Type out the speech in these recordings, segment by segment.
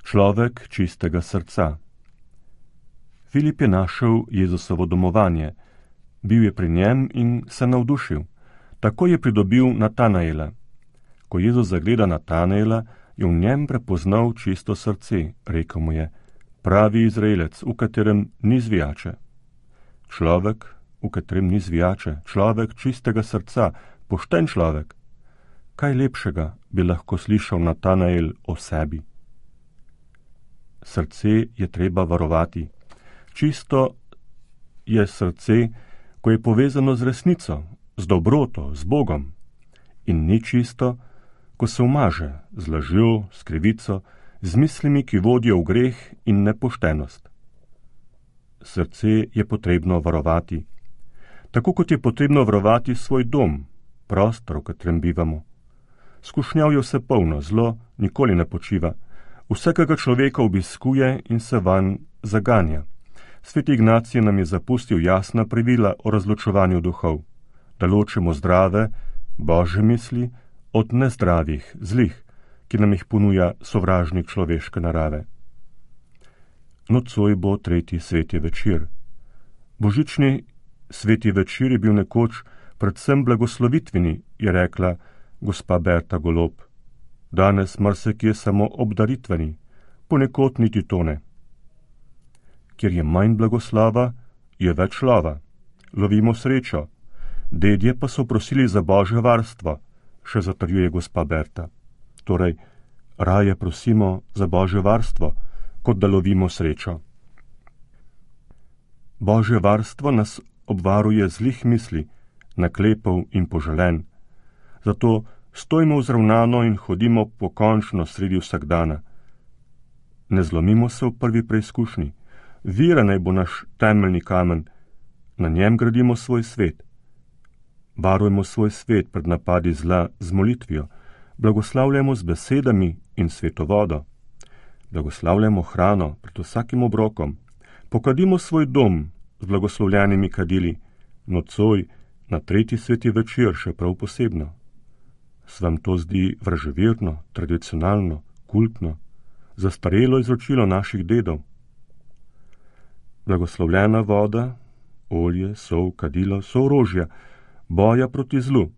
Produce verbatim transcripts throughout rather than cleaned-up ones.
Človek čistega srca. Filip je našel Jezusovo domovanje, bil je pri njem in se navdušil. Tako je pridobil Natanaela. Ko Jezus zagleda Natanaela, je v njem prepoznal čisto srce, rekel mu je: pravi Izraelec, v katerem ni zvijače. Človek, v katerem ni zvijače, človek čistega srca, pošten človek. Kaj lepšega bi lahko slišal Natanael o sebi? Srce je treba varovati. Čisto je srce, ko je povezano z resnico, z dobroto, z Bogom. In ni čisto, ko se umaže z lažjo, s krivico, z mislimi, ki vodijo v greh in nepoštenost. Srce je potrebno varovati. Tako kot je potrebno varovati svoj dom, prostor, v katerem bivamo. Skušnjav je vse polno, zlo nikoli ne počiva. Vsakega človeka obiskuje in se vanj zaganja. Sveti Ignacij nam je zapustil jasna pravila o razločevanju duhov, da ločimo zdrave, božje misli od nezdravih, zlih, ki nam jih ponuja sovražnik človeške narave. Nocoj bo tretji sveti večer. Božični sveti večer je bil nekoč predvsem blagoslovitveni, je rekla gospa Berta Golob. Danes marsikje samo obdaritveni, ponekod niti to ne. Kjer je manj blagoslava, je več lova. Lovimo srečo. Dedje pa so prosili za božje varstvo, še zatrjuje gospa Berta. Torej, raje prosimo za božje varstvo, kot da lovimo srečo. Božje varstvo nas obvaruje zlih misli, naklepov in poželen. Zato stojimo vzravnano in hodimo pokončno sredi vsakdana. Ne zlomimo se v prvi preizkušnji. Vera naj bo naš temeljni kamen, na njem gradimo svoj svet. Varujemo svoj svet pred napadi zla z molitvijo, blagoslavljamo z besedami in svetovodo. Blagoslavljamo hrano pred vsakim obrokom, pokadimo svoj dom z blagoslovljenimi kadili, nocoj na tretji sveti večer še prav posebno. Se vam to zdi vraževerno, tradicionalno, kultno, zastarelo izročilo naših dedov? Blagoslovljena voda, olje, sol, kadilo so orožja boja proti zlu,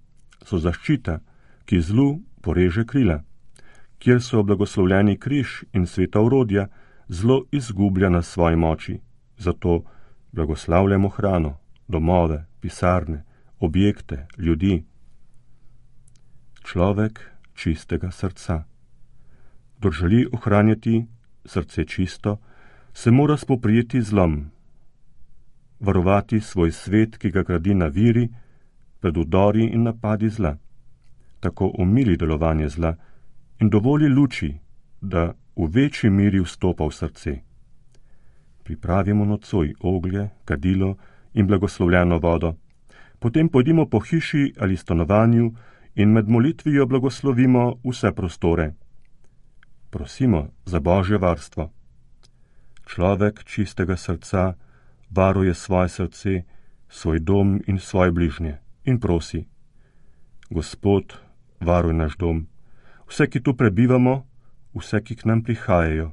so zaščita, ki zlu poreže krila. Kjer so blagoslovljeni križ in sveta orodja, zlo izgublja na svoji moči. Zato blagoslavljamo hrano, domove, pisarne, objekte, ljudi. Človek čistega srca. Kdor želi ohranjati srce čisto, se mora spoprijeti zlom, varovati svoj svet, ki ga gradi na viri, pred udori in napadi zla. Tako omili delovanje zla in dovoli luči, da v večji miri vstopa v srce. Pripravimo nocoj oglje, kadilo in blagoslovljeno vodo. Potem pojdimo po hiši ali stanovanju in med molitvijo blagoslovimo vse prostore. Prosimo za božje varstvo. Človek čistega srca varuje svoje srce, svoj dom in svoje bližnje in prosi: Gospod, varuj naš dom, vse, ki tu prebivamo, vse, ki k nam prihajajo,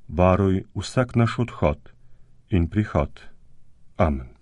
varuj vsak naš odhod in prihod. Amen.